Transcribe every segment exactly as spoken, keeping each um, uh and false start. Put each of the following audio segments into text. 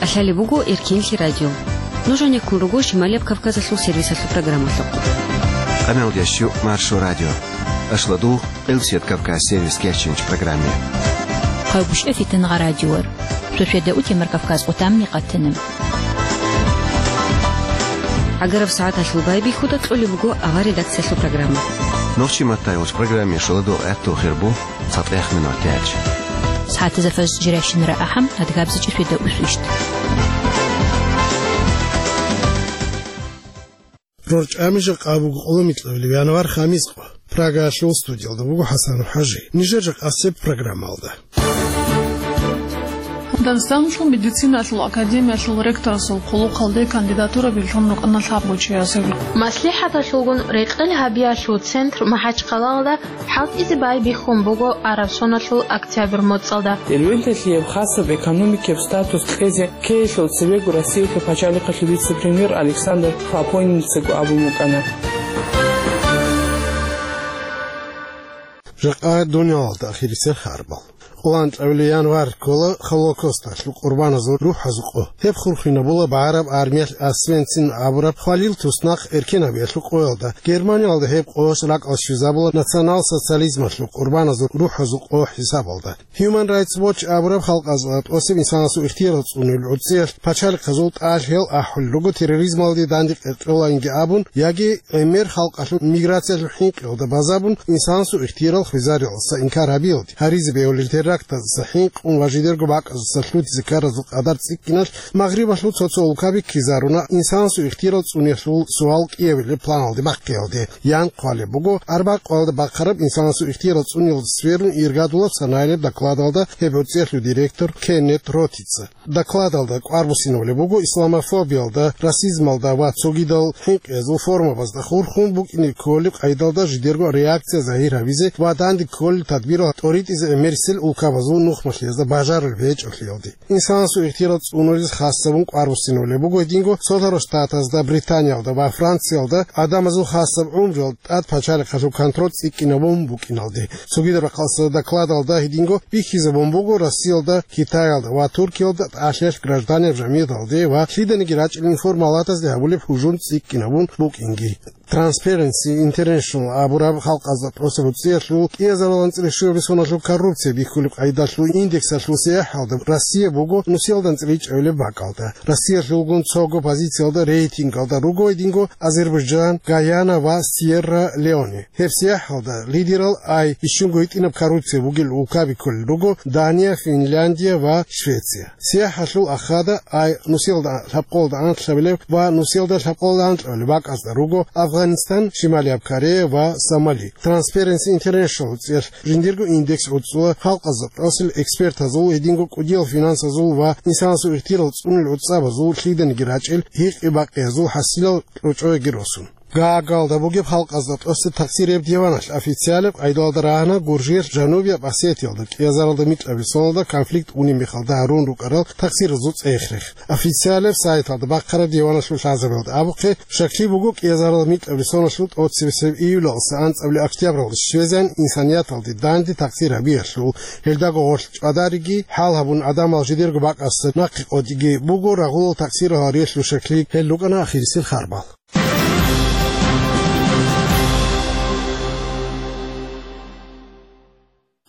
Лъалеб буго Эркинлъи радио. Нуж гьанеккун руго Шималияб Кавказалъул сервисалъул программалъухъ. Къамел ящу Маршо радио. Ашладу Къилсият Кавказ сервис кеченч программе. Хъайбушев Фитнагъа радиор. Шошеда утемар Кавказ утамни къатанам. Агараб сагӀаталъул байбихьуда кьолеб буго ава редакциялъул программа. Нохчи маттай уч программе шоладу гӀатту хирбу. ЦатӀех минут яч. СагӀатазда фажр жирайщинара ахӀам, адгабзичӀеб свида усвищт. РорчӀами жакъа буго къоло микьабилеб январ, хамис къо. Прагаялъул студиялда буго ХӀасан ХӀажи. Нижер жакъасеб программалда. Дагъистаналъул медицинаялъул академиялъул ректорасул хъулухъалде кандидатура бихьун рукӀана лъабго чиясе. МаслихӀаталъулгун рекъел гьабиялъул центр МахӀачхъалалда хӀалтӀизе байбихьун буго араб соналъул октябрь моцӀалда. Ирвелдалъияб хасаб экономикияб статус кьезе ккеялъул цебего Россиялъул пачалихъалъул вице-премьер Александр Хлопонинцаго абун букӀана. Жакъа дуниялалда ахирисел харбал. Къоло анкьабилеб январ ккола Холокосталъул къурбаназул рухӀазул къо. Гьеб хурхинабула багӀараб армиялъ Освенцим абураб хвалил туснахъ эркенабиялъул къоялда. Германиялда гьеб къо ракӀалде щвезабула национал-социализмалъул къурбаназул рухӀазул къо хӀисабалда. Human Rights Watch абураб халкъазда тӀосеб инсанасул ихтиярал цӀунулел гӀуцӀиялъ пачалихъазул тӀалъиял ахӀулел руго терроризмалде данде къеркьолаинги абун, яги гӀемер халкъалъул миграциялъул хӀинкъиялда базабун, инсанасул ихтиярал хвезариялдаса инкар гьабиялде, гьаризе бегьулел терактаздаса хӀинкъун ва жидерго бакӀаздаса лъутизе ккаразул къадар цӀикӀкӀиналъ Магърибалъул цо-цо улкаби ккезаруна инсанасул ихтиярал цӀуниялъул суал кӀиабилеб планалде бахъиялде, ян хъвалеб буго арбакъоялда бахъараб инсанасул ихтиярал цӀуниялда сверун иргадулаб санаялъул докладалда гьеб гӀуцӀиялъул директор Кеннет Ротица. Докладалда кӀвар буссинабулеб буго исламофобиялда, расизмалда ва цогидал хӀинкъиязул формабазда хурхун букӀине кколеб къайдалда жидерго реакция загьир гьабизе ва данде кколел тадбирал тӀоритӀизе гӀемерисел улкабазул нухмалъиязда бажарулеб гьечӀолъиялде. Инсанасул ихтиярал цӀунулез хасабун кӀвар буссинабулеб буго гьединго Цолъарал Штатазда, Британиялда ва Франциялда гӀадамазул хасаб гӀумруялда тӀад пачалихъалъул контроль цӀикӀкӀинабун букӀиналде. Цогидаб рахъалъа докладалда гьединго бихьизабун буго Россиялда, Китаялда ва Туркиялда тӀалъиялъ гражданиял жамигӀаталде ва лъиданиги рачӀинел информалатазде гьабулеб гьужум цӀикӀкӀинабун букӀинги. Transparency International абураб халкъазда тӀоцеб гӀуцӀиялъул кӀиазарал анцӀила щуабилеб соналъул коррупция бихьулеб къайдалъул индексалъул сияхӀалда Россия буго нусиялда анцӀила ичӀабилеб бакӀалда. Россиялъулгун цого позициялда рейтингалда руго гьединго Азербайджан, Гаяна ва Сьерра-Леоне. Гьеб сияхӀалда лидерал ай бищунго гьитӀинаб коррупция бугел улкаби кколел руго Дания, Финляндия ва Швеция. СияхӀалъул ахада ай нусиялда лъабкъолда анлъабилеб ва нусиялда лъабкъолда анкьабилеб бакӀазда руго Афганистан, Шималияб Корея ва Сомали. Transparency International гӀуцӀиялъ жиндирго индекс гӀуцӀула халкъазда тӀосел экспертазул, гьединго кӀудиял финансазул ва инсанасул ихтиярал цӀунулел гӀуцӀабазул лъиданиги рачӀел гьикъи-бакъиязул хӀасилал кьучӀояги росун. Гаагалда бугеб халкъазда тӀосе тахсиреб диваналъ официалеб къайдалда рагьана Гуржиялъ Жанубияб Осетиялда кӀиазаралда микьабилеб соналда конфликт унеб мехалда гьарун рукӀарал тахсиразул цӀех-рех. Официалеб сайталда бахъараб диваналъул лъазабиялда абухъе, щаклъи буго кӀиазаралда микьабилеб соналъул тӀоцебесеб июлалдаса анцӀабилеб октябралде щвезегӀан инсанияталде данде тахсир гьабиялъул, гьелдаго гъорлъ чӀвадариги, хӀал гьабун гӀадамал жидерго бакӀасда нахъе къотӀиги буго рагъулал тахсирал гьариялъул щаклъи. Гьел рукӀана ахирисел харбал.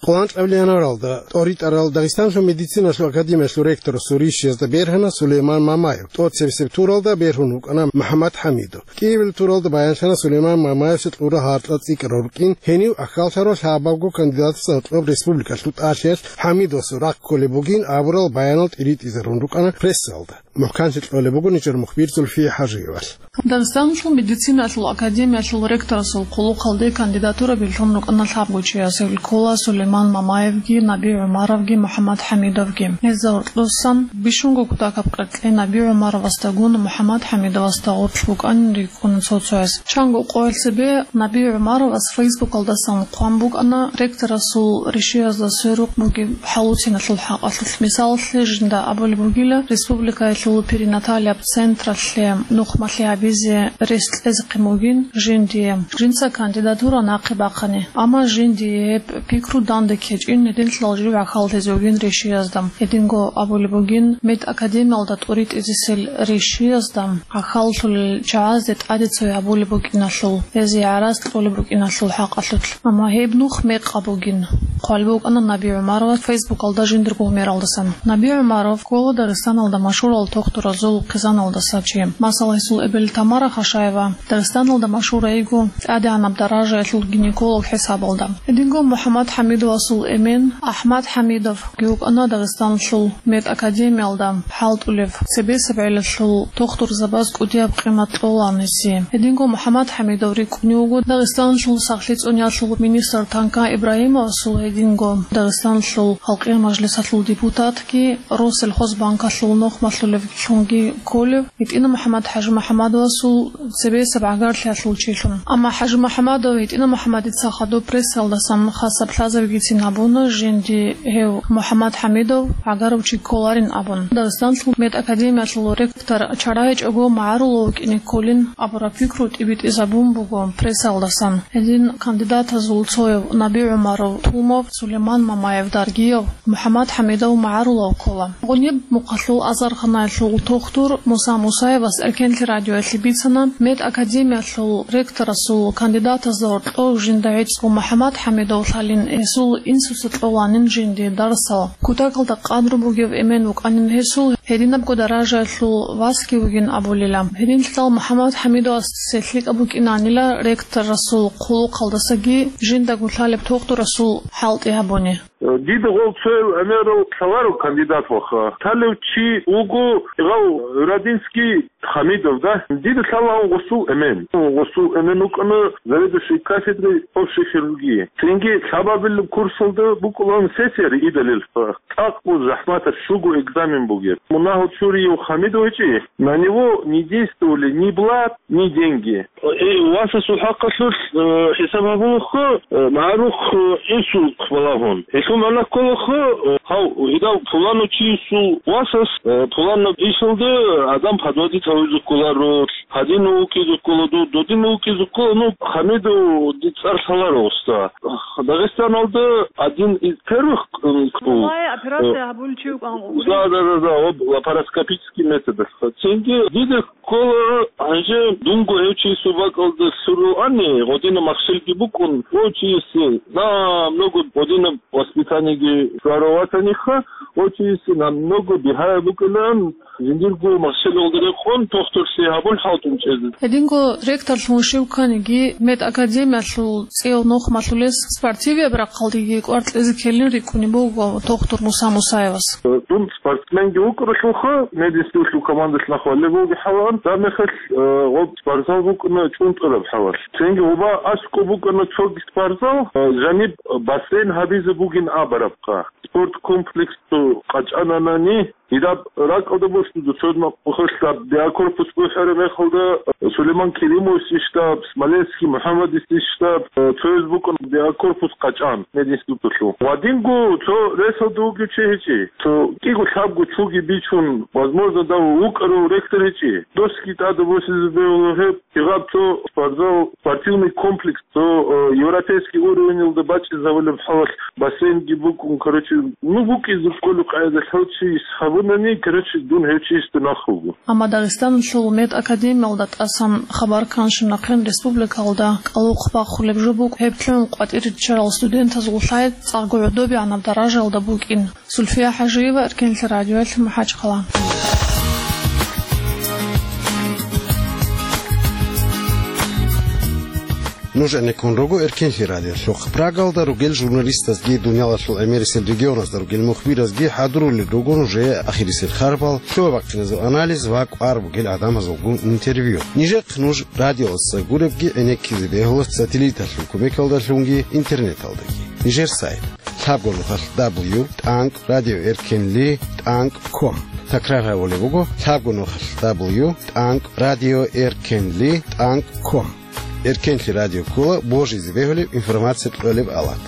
Къоло анкьабилеб январалда тӀоритӀарал Дагъистаналъул медициналъул академиялъул ректорасул ришиязда бергьана Сулейман Мамаев, тӀоцебесеб туралда бергьун вукӀана МухӀаммад ХӀамидов. КӀиабилеб туралда баянлъана Сулейман Мамаевса кьураб гьаркьа цӀикӀкӀараб рукӀин, гьенив ахьаллъарав лъабабго кандидатасда гьоркьоб республикалъул тӀалъиялъ ХӀамидовасул рахъ кколеб бугин абурал баянал тӀиритӀизарун рукӀана прессалда. МухӀканлъи кьолеб буго нижер мухбир Зульфия ХӀажиевалъ. Дагъистаналъул медицинаялъул академиялъул ректорасул хъулухъалде кандидатура бихьун рукӀана лъабго чиясе, ккола Сулейман Мамаевги, Наби ГӀумаровги, МухӀаммад ХӀамидовги. Гьезда гьоркьосан бищунго кутакаб къеркье Наби ГӀумаровасдагун МухӀаммад ХӀамидовасда гъорлъ букӀанин рикӀкӀуна цо-цояс. Чанго къоялъ цебе Наби ГӀумаровас Фейсбукалдасан хъван букӀана ректорасул ришиязда сверухъ бугеб хӀалуцаналъул хӀакъалъулъ. Мисалалъе, жинда абулеб бугила, республикаялъул перинаталияб централъе нухмалъи гьабизе рес кьезехъин бугин жиндие, жинца кандидатура нахъе бахъани. Амма жиндие гьеб пикру дан КӀиго гьединлъидал жив гӀахьаллъизе вугин ришиязда. Гьединго абулеб бугин, медакадемиялда тӀуритӀизесел ришиязда гӀахьаллъулел чагӀазде тӀаде цо гьабулеб букӀиналъул, гьезие гӀарац кьолеб букӀиналъул хӀакъалъулъ. Амма гьеб нух мекъаб бугин. Хъвалеб букӀана Наби ГӀумарова Фейсбукалда жиндирго гьумералдасан. Наби ГӀумаров ккола Дагъистаналда машгьурал тухтуразул хъизаналдаса чи. Масала, гьесул эбел Тамара Хашаева Дагъистаналда машгьур йиго тӀадегӀанаб даражаялъул гинеколог хӀисабалда. Гьединго МухӀаммад ХӀамидовасул эмен АхӀмад ХӀамидовги вукӀана Дагъистаналъул медакадемиялда хӀалтӀулев, цебесеб гӀелалъул тухтурзабаз кӀудияб къимат кьолаан гьесие. Гьединго МухӀаммад ХӀамидов рикӀкӀунев вуго Дагъистаналъул сахлъи цӀуниялъул министр Танка Ибрагьимовасул, гьединго Дагъистаналъул Халкъиял мажлисалъул депутатги Россельхозбанкалъул нухмалъулевлъунги кколев, ГьитӀина МухӀаммад ХӀажимухӀаммадовасул цебесеб гӀагарлъиялъул чилъун. Амма ХӀажимухӀаммадов ГьитӀина МухӀаммадица хадуб прессаялдасан хасаб лъазабигицин гьабуна, жинди гьев МухӀаммад ХӀамидов гӀагарав чи кколарин абун. Дагъистаналъул медакадемиялъул ректор чарайичӀого магӀарулав вукӀине кколин абураб пикру тӀибитӀизабун буго прессаялдасан. Гьедин кандидатазул цояв Наби ГӀумаров, Тумов, Сулейман Мамаев, Даргиев, МухӀаммад ХӀамидов магӀарулав ккола. Гъуниб мухъалъул азарханаялъул тухтур Муса Мусаевас Эркенлъи радиоялъе бицана, медакадемиялъул ректорасул кандидатазда гьоркьов жинда гӀицӀго МухӀаммад ХӀамидов лъалин, гьесул инсуца кьоланин жинди дарсал. Кутакалда къадру бугев эмен вукӀанин гьесул, гьединабго даражаялъул васги вугин абулила. Гьединлъидал МухӀаммад ХӀамидовасде лъикӀаб букӀинанила ректорасул хъулухъалдасаги жиндаго лъалеб тухтурасул хӀалтӀи гьабуни. Дида гъол цоял гӀемерал лъаларо кандидат ваха. Лъалев чи вуго гъав Радинский Хамидов, да? Дида лъалаан гъосул эмен. Гъосул эмен вукӀана заведующий кафедрой общей хирургии. Цинги лъабабилеб курсалда букӀулаан сессия риидалилха. ЦӀакъго захӀматаб щуго экзамен бугеб. Мунагьал чурияв Хамидов гьечӀи, на него не действовали ни блат, ни деньги. Э, васасул хӀакъалъулъ, э, хӀисаб гьабулаха, э, магӀарухъ, э, инсулт балагьун. Гьелъул магӀна кколаха, э, гьав, гьедав пуланав чиясул васас, э, пуланаб ишалда адам подводить гьавизе кколаро, гьадинав вукӀизе ккола, ду-, додинав вукӀизе ккола, ну, Хамидов цӀар лъаларо, уста. Дагъистаналда один из первых, м, ккол. Цолай операция, э, гьабулев чи вукӀан гъури. Да, да, да, да, об-, лапароскопический методалъ. Цинги дида ккола, гьанже дунго гьев чиясул бакӀалда лъугьунани, гъодинаб махщелги букӀун, гъов чиясе намного гъодинаб воспитаниеги хвараватаниха, гъов чиясе намного бигьаяб букӀилан, жиндирго махщелалда рекъон тухтурлъи гьабун хӀалтӀун чӀезе. Гьединго ректорлъун щив кканиги, медакадемиялъул цӀияв нухмалъулес спортивияб рахъалдеги кӀвар кьезе ккелин рикӀкӀунеб буго тухтур Муса Мусаевас. Дун спортсменги вукӀаралъулха, мединститутлъул командалъ нахъ валеб бугеб хӀалан, гьаб мехалъ, э, гъоб спортзал букӀана чӀунтӀараб хӀалалъ. Цинги гъоба аскӀоб букӀана цоги спортзал, э, жаниб бассейн гьабизе бугин абарабха. Спорткомплекс цо къачӀананани, гьедаб ракӀалда босун, цо мехалъ биокорпус бухӀараб мехалда, э, Сулейман Керимовасул штаб, Смоленский МухӀаммадасул штаб, э, цояз букӀана биокорпус къачӀан мединститутлъул. Гъадинго цо ресалда вугев чи гьечӀи. Цо кӀиго лъабго чуги бичун, возможно, дав вукӀарав ректор гьечӀи. Досги тӀада босизе бегьула гьеб, гьеб цо спортзал, спортивный комплекс, цо, э, европейский уровеньалда бачӀинабулеб хӀалалъ бассейнги букӀун, короче, ну, букӀизе кколеб къайдалъ гьев чияс гьабунани, короче, дун гьев чиясда нахъ вуго. Амма Дагъистаналъул медакадемиялда тӀасан хабар кканщинахъе республикалда кӀалухъ бахулеб жо букӀ гьеб лъугӀун къватӀире риччарал студентазул лъай цӀакъго гӀодобегӀанаб даражаялда букӀин. Сульфия ХӀажиева, Эркенлъи радиоялъ, МахӀачхъала. Нуж гӀенеккун руго Эркенлъи радиолъухъ. Прагалда ругел журналистазги, дуниялалъул гӀемерисел регионазда ругел мухбиразги хӀадурулел руго нужее ахирисел харбал, лъугьа-бахъиназул анализ ва кӀвар бугел гӀадамазулгун интервью. Нижехъ нуж радиоялдаса гуребги гӀенеккизе бегьула сателлиталъул кумекалдалъунги интернеталдаги. Нижер сайт: лъабго нухалъ дабл ю тӀанкӀ радио эркенли тӀанкӀ ком. Такрар гьабулеб буго: лъабго нухалъ дабл ю тӀанкӀ радио эркенли тӀанкӀ ком. Эркенлъи радио ккола божизе бегьулеб информация кьолеб авал.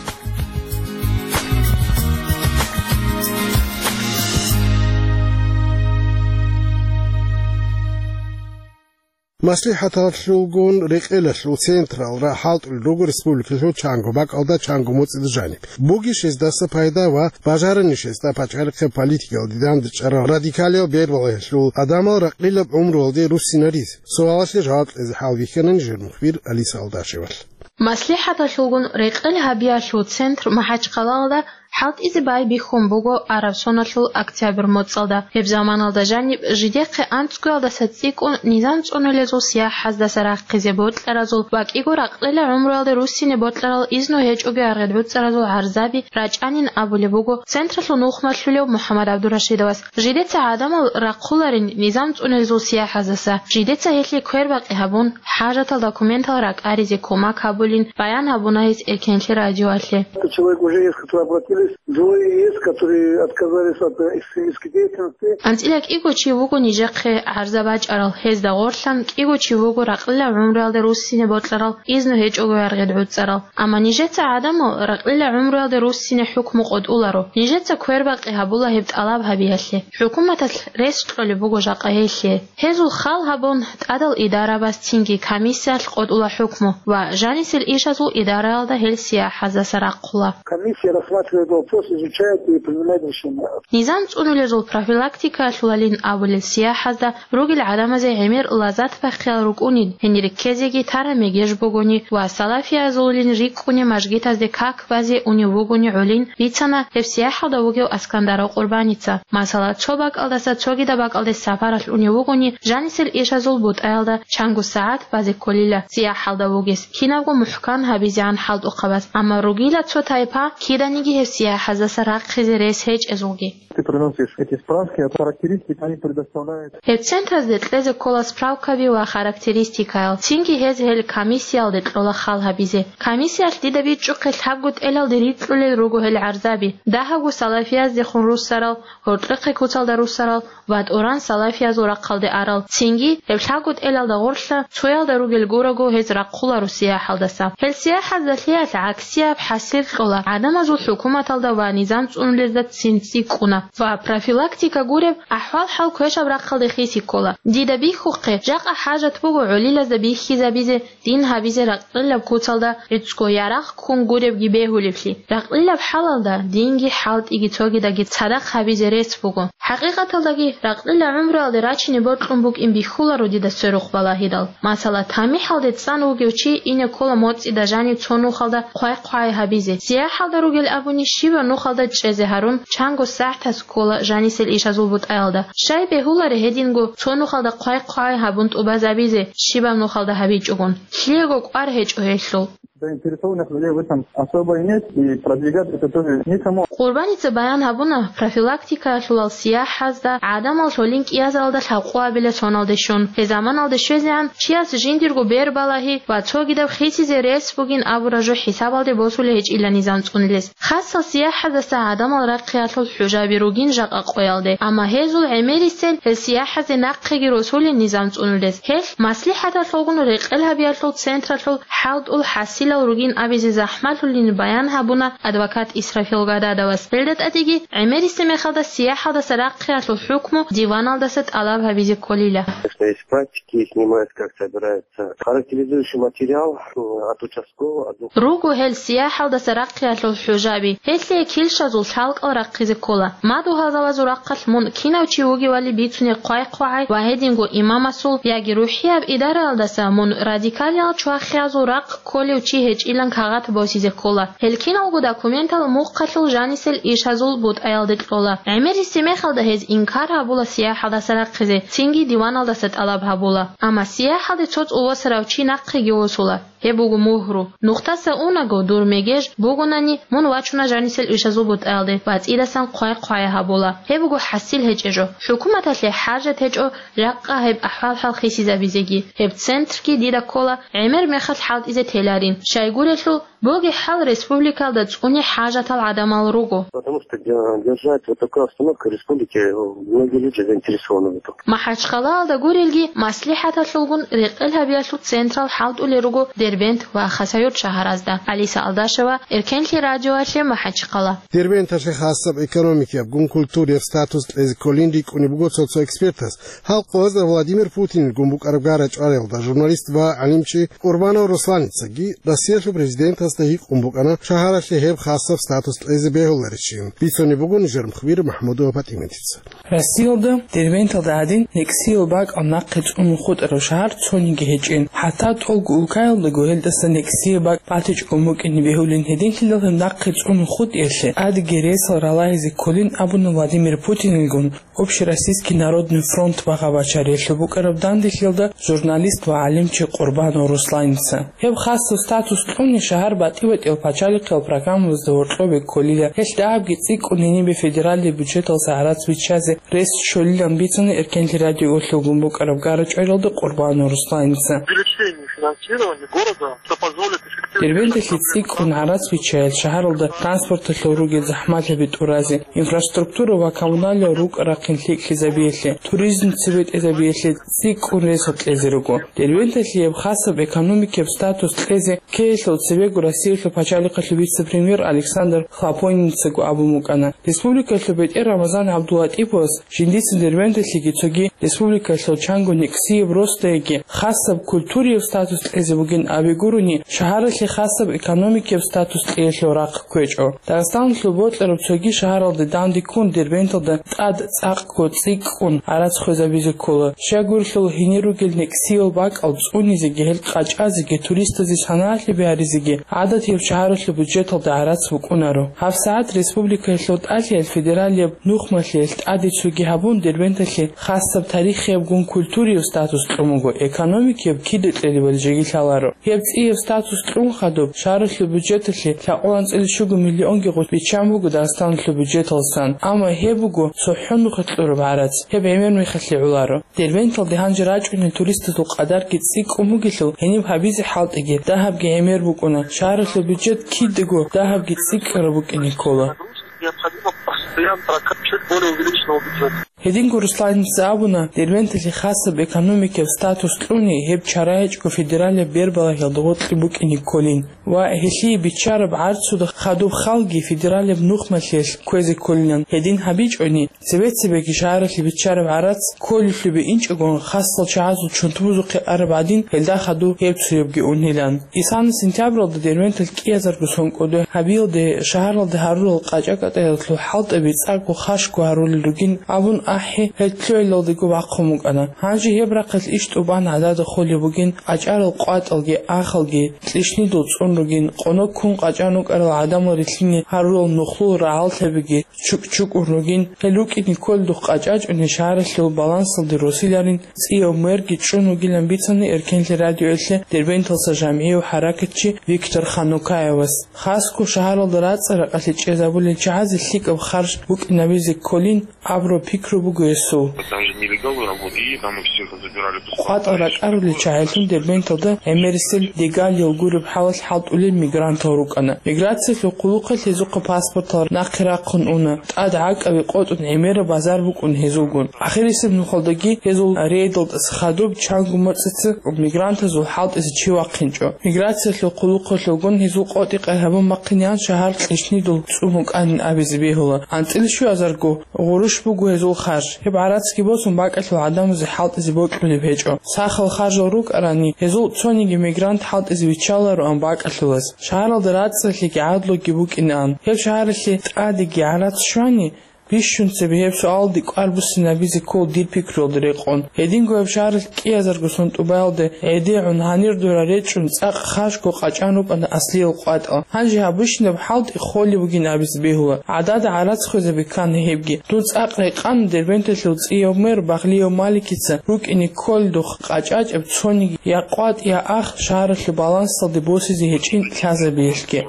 МаслихӀаталъулгун рекъелалъул централра хӀалтӀулел руго республикалъул чанго бакӀалда, чанго моцӀида жаниб. Бугищ гьездаса пайда ва бажаранищ гьезда пачалихъе политикалде дандчӀарал радикалиял бербалъиялъул гӀадамал ракълилаб гӀумруялде руссинаризе? Суалалъе жаваб кьезе хӀалбихьана нижер мухбир Алиса Алдашевалъ. МаслихӀаталъулгун рекъел гьабиялъул центр МахӀачхъалалда хӀалтӀизе байбихьун буго араб соналъул октябрь моцӀалда. Гьеб заманалда жаниб жидехъе анцӀгоялдаса цӀикӀкӀун низам цӀунулезул сияхӀаздаса рахъизе бокьаразул ва кӀиго ракълила гӀумруялде руссине бокьарал изну гьечӀого аргъед гӀуцӀаразул гӀарзаби рачӀанин абулеб буго централъул нухмалъулев МухӀаммад ГӀабдурашидовас. Жидеца гӀадамал рахъуларин низам цӀунулезул сияхӀаздаса, жидеца гьелъие квербакъи гьабун, хӀажатал документал ракӀаризе кумак гьабулин баян гьабуна гьес Эркенлъи радиоялъе. Человек уже есть, которые обратились, двое есть, которые отказались от, э, экстремистской деятельности. АнцӀила кӀиго чи вуго нижехъе гӀарза бачӀарал, гьезда гъорлъан кӀиго чи вуго ракълила гӀумруялде руссине бокьарал, изну гьечӀого аргъед гӀуцӀарал. Амма нижеца гӀадамал ракълила гӀумруялде руссине хӀукму къотӀуларо. Нижеца квербакъи гьабула гьеб тӀалаб гьабиялъе. ХӀукуматалъ рес кьолеб буго жакъа гьелъие. Гьезул хал гьабун, тӀадал идарабаз цинги комиссиялъ къотӀула хӀукму ва жанисел ишазул идараялда гьел сияхӀаздаса рахъула. Комиссия рассматривает вопрос, изучает и принимает решение. Низам цӀунулезул профилактикаялъулалин абулел сияхӀазда ругел гӀадамазе гӀемер лазат бахъиял рукӀунин, гьенир ккезеги тараб мегеж бугони ва салафиязулин рикӀкӀуне мажгитазде как базе унев вугони гӀолин, бицана гьеб сияхӀалда вугев Аскандаров Къурбаница. Масала, цо бакӀалдаса цогидаб бакӀалде сапаралъ унев вугони, жанисел ишазул бутӀаялда чанго сагӀат базе кколила сияхӀалда вугес, кинабго мухӀкан гьабизегӀан хӀалтӀухъабаз. Амма ругила цо тайпа, киданиги гьеб сияхӀаздаса рахъизе рес гьечӀезулги. Ты приносишь эти справки, а характеристики они предоставляют. Гьеб центразде кьезе ккола справкаби ва характеристикаял, цинги гьез гьел комиссиялде кьола хал гьабизе. Комиссиялъ дида бичӀчӀухъе лъабго тӀелалде рикьулел руго гьел гӀарзаби, дагьабго салафияздехун руссарал, гьоркьохъе куцалда руссарал ва тӀуран салафиязул рахъалде арал. Цинги гьеб лъабго тӀелалда гъорлъа цоялда ругел гураго гьез рахъуларо сияхӀалдаса. Гьел сияхӀаздалъиялъ гӀаксияб хӀасил кьола, гӀадамазул хӀукуматалда ва низам цӀунулезда цин цӀикӀкӀуна ва профилактика гуреб ахӀвал-хӀал квешаб рахъалде хиси ккола. Дида бихьухъе, жакъа хӀажат буго гӀолилазда бихьизабизе дин гьабизе ракълилаб куцалда гӀицӀго ярагъ ккун гуребги бегьулеблъи. Ракълилаб хӀалалда динги хӀалтӀиги цогидаги цадахъ гьабизе рес буго. ХӀакъикъаталдаги, ракълила гӀумруялде рачине бокьун букӀин бихьуларо дида сверухъ балагьидал. Масала, тамихӀалде цӀан вугев чи ине ккола моцӀида жанив цо нухалда хъвай-хъвай гьабизе. СияхӀалда ругел абуни, щибаб нухалда чӀезе гьарун, чанго сагӀтас ккола жанисел ишазул бутӀаялда. Щай бегьуларе гьединго цо нухалда хъвай-хъвай гьабун тӀубазабизе, щибаб нухалда гьабичӀогун? Лъиего кӀвар гьечӀо гьелъул. Заинтересованных людей в этом особо и нет, и продвигать это тоже некому. Къурбаница баян гьабуна, профилактикаялъулал сияхӀазда гӀадамал лъолин кӀиазаралда лъабкъоабила соналде щун. Гьезаманалде щвезегӀан чияс жиндирго бербалагьи ва цогидаб хисизе рес бугин абураб жо хӀисабалде босулей гьечӀила низам цӀунулес. Хасал сияхӀаздаса гӀадамал рахъиялъул хӀужаби ругин жакъа къоялде, амма гьезул гӀемерисел гьел сияхӀазде нахъеги росулин низам цӀунулес. Гьелъ маслихӀаталъулгун рекъел гьабиялъул централъул хӀалтӀул хӀасилал ругин абизе захӀмалъулин баян гьабуна адвокат Исрафил Гададовас. Гьелда тӀадеги гӀемерисеб мехалда сияхӀалдаса рахъиялъул хӀукму диваналдаса тӀалаб гьабизе кколила. Конечно, есть практики, снимают, как собираются характеризующий материал, м, от участкового, от двух. Руго гьел сияхӀалдаса рахъиялъул хӀужаби, гьелъие килщазул лъалкӀал рахъизе ккола. Мадугьалзабазул рахъалъ мун кинав чи вугевали бицунеб хъвай-хъвагӀай ва гьединго имамасул яги рухӀияб идараялдаса мун радикалиял чвахиязул рахъ кколев чи гьечӀилан кагъат босизе ккола. Гьел киналго документал мухъалъул жанисел ишазул бутӀаялде кьола. ГӀемерисеб мехалда гьез инкар гьабула сияхӀалдаса рахъизе, цинги диваналдаса тӀалаб гьабула. Амма сияхӀалде цо цӀувасарав чи нахъеги восула. Гьеб буго мугьру. Нухтаса унаго дур мегеж бугунани, мун вачуна жанисел ишазул бутӀаялде ва цӀидасан хъвай-хъвай гьабула. Гьеб буго хӀасил гьечӀеб жо. ХӀукуматалъе хӀажат гьечӀо жакъа гьеб ахӀвал-хӀал хисизабизеги. Гьеб центрги дида ккола гӀемер мехалъ хӀалтӀизе теларин. Щайгурелъул, Боги хӀал республикалда цӀуни хӀажатал гӀадамал руго. Потому что де-, держать вот такую обстановку в республике, э, многие люди заинтересованы в этом. МахӀачхъалаялда гурелги, маслихӀаталъулгун рекъел гьабиялъул централ хӀалтӀулел руго Дербент ва Хасавюрт шагьаразда. Алиса Алдашева, Эркенлъи радиоялъе, МахӀачхъала. Дербенталъе хасаб экономикияб, гун культурияб статус кьезе кколин рикӀкӀунеб буго цо-цо экспертас. Гьал къоязда Владимир Путинил гун букӀараб гара-чӀвариялда журналист ва гӀалимчи Къурбанов Русланицаги Россиялъул президентасда гьикъун букӀана шагьаралъе гьеб хасаб статус кьезе бегьуларищин. Бицунеб буго нижер мухбир МахӀмудова ПатӀиматица. Россиялда Дербенталда гӀадин некӀсиял бакӀал нахъе цӀунун хутӀарав шагьар цониги гьечӀин. ХӀатта тӀолго улкаялдаго гьелдаса некӀсиял бакӀ батичӀого букӀине бегьулин, гьединлъидал гьеб нахъе цӀунун хутӀиялъе тӀадеги ресал ралагьизе кколин абуна Владимир Путинилгун Общероссийский народный фронт багъа-бачариялъул букӀараб данделъиялда журналист ва гӀалимчи Къурбанов Русланица. Гьеб хасаб статус кьуни шагьар батӀи-батӀиял пачалихъиял программабазда гьоркьобе кколила, гьелъ дагьабги цӀикӀкӀун гьенибе федералияб бюджеталъа гӀарац биччазе рес щолилан бицана Эркенлъи радиоялъулгун букӀараб гара-чӀвариялда Къурбанов Русланица. Увеличение финансирования города, что позволит эффективно Дербенталъе цӀикӀкӀун гӀарац биччаялъ шагьаралда транспорталъул ругел захӀмалъаби тӀуразе, инфраструктура ва коммуналиял рукӀа-рахъин лъикӀлъизабиялъе, туризм цебетӀезабиялъе цӀикӀкӀун ресал кьезе руго. Дербенталъе гьеб хасаб экономикияб статус кьезе ккеялъул цебего Россиялъул пачалихъалъул вице-премьер Александр Хлопониницаго абун букӀана. Республикалъул бетӀер Рамазан ГӀабдуллатӀиповас жиндица Дербенталъеги цоги республикалъул чанго некӀсияб росдайги хасаб культурияб статус кьезе бугин абигурони, шагьаралъе хасаб экономикияб статус кьеялъул рахъ кквечӀо. Дагъистаналъул бокьараб цоги шагьаралде данде ккун Дербенталда тӀад цӀакъго цӀикӀкӀун гӀарац хвезабизе ккола. Щай гурелъул гьенир ругел некӀсиял бакӀал цӀунизеги гьел къачӀазеги туристазе санагӀалъи бигьаризеги гӀадатияб шагьаралъул бюджеталда гӀарац букӀунаро. ГьабсагӀат республикаялъул тӀалъиялъ федералияб нухмалъиялъ тӀаде цоги гьабун Дербенталъе хасаб тарихияб гун культурияб статус кьун буго, экономикияб кида кьезе бали жеги лъаларо. Гьеб цӀияб статус кьун хадуб шагьаралъул бюджеталъе лъабкъоялда анцӀила щуго миллионги гъут биччан буго Дагъистаналъул бюджеталсан, амма гьеб буго цохӀо нухалъ кьураб гӀарац, гьеб гӀемер мехалъе гӀоларо. Дербенталде гьанже рачӀунел туристазул къадарги цӀикӀкӀун бугелъул, гьениб гьабизе хӀалтӀиги, дагьабги гӀемер букӀуна, шагьаралъул бюджет кидаго дагьабги цӀикӀкӀараб букӀине ккола. Необходимо постоянно прокачивать более увеличенного бюджета. Гьединго Русланица абуна, Дербенталъе хасаб экономикияб статус кьуни гьеб чара гьечӀого федералияб бербалагьиялда гъоркье букӀине кколин ва гьелъие биччараб гӀарцуда хадуб халги федералияб нухмалъиялъ кквезе кколилан. Гьедин гьабичӀони, цебе-цебеги шагьаралъе биччараб гӀарац кколелъубе инчӀогон хасал чагӀазул чунтубузухъе араб гӀадин, гьелда хадуб гьеб цоябги унилан. Исана сентябралда Дербенталъ кӀиазарго сон кӀодо гьабиялде шагьаралда гьарурал къачӀа-кӀатӀаялъул хӀалтӀаби цӀакъго хашго гьарулел ругин абун ахӀи, гьел лъугӀиналдего бахъун букӀана. Гьанже гьеб рахъалъ иш тӀубан гӀадада холеб бугин, къачӀарал къватӀалги ахалги кьишнидул цӀун ругин, къонок ккун къачӀан рукӀарал гӀадамал рилълъине гьарурал нухлул рагӀаллъабиги чукӀ-чукӀун ругин, гьел рукӀине кколдухъ къачӀачӀуни шагьаралъул балансалде росиларин цӀияв мэрги чӀун вугилан бицана Эркенлъи радиоялъе Дербенталса жамгӀияв хӀаракатчи Виктор Ханукаевас. Хасго шагьаралда рацӀцӀа-ракъалъе чӀезабулел чагӀазе лъикӀаб харж букӀинабизе кколин абураб пикру буго гьесул. Там же нелегалы работали, там их всех забирали. КъватӀал ракӀарулел чагӀилъун Дербенталда гӀемерисел Дегалиел гуреб хӀалалъ хӀалтӀулел мигрантал рукӀана. Миграциялъул хъулухъалъ гьезухъа паспортал нахъе рахъун уна, тӀад гӀакӀаби къотӀун гӀемераб базар букӀун гьезулгун. Ахирисеб нухалдаги гьезул рейдалдаса хадуб чанго моцӀица мигрантазул хӀалтӀизе чи вахъинчӀо. Миграциялъул хъулухъалъулгун гьезул къотӀи-къай гьабун бахъинегӀан шагьар кьишнидул цӀун букӀанин абизе бегьула. АнцӀила щуазарго гъурущ буго гьезул харж. Гьеб гӀарацги босун бакӀалъул гӀадамазе хӀалтӀизе бокьулеб гьечӀо. Сахал харжал рукӀарани, гьезул цониги мигрант хӀалтӀизе виччалароан бакӀалъулас. Шагьаралда рацӀцӀалъиги гӀадлуги букӀинаан. Гьеб шагьаралъе тӀадеги гӀарац щвани, бищун цебе гьеб суалалде кӀвар буссинабизе ккол дир пикруялда рекъон. Гьединго гьеб шагьаралъ кӀиазарго сон тӀубаялде гӀедегӀун, гьанир дора речӀчӀун цӀакъ хашго къачӀан рукӀана аслиял къватӀал. Гьанже гьаб бищунаб хӀалтӀи холеб бугин абизе бегьула. ГӀадада гӀарац хвезаби ккана гьебги. Дун цӀакъ рекъан Дербенталъул цӀияв мэр Багълияв Маликица рукӀине кколдухъ къачӀачӀеб цониги я къватӀ, я ах шагьаралъул балансалде босизе гьечӀин лъазабиялъги.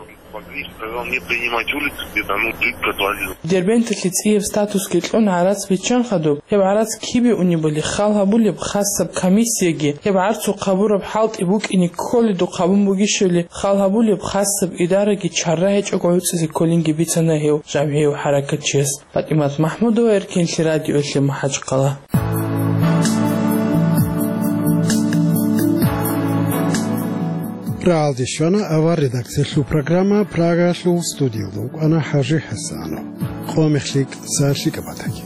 Они, сказал, не принимать улицы, где-то, ну, жидко отвалило. Дербенталъе цӀияб статусги кьун гӀарац биччан хадуб, гьеб гӀарац кибе унебали хал гьабулеб хасаб комиссияги гьеб гӀарцухъ гьабураб хӀалтӀи букӀине кколедухъ гьабун бугищали хал гьабулеб хасаб идараги чара гьечӀого гӀуцӀизе кколинги бицана гьев жавгьияв хӀаракатчияс. ПатӀимат Махмудова, Эркенлъи радиоялъе МахӀачхъала. РагӀалде щвана авар редакциялъул программа, Прагаялъул студиялда вукӀана ХӀажи ХӀасанов. Къо мехлъи кьса лъикӀаб батаги.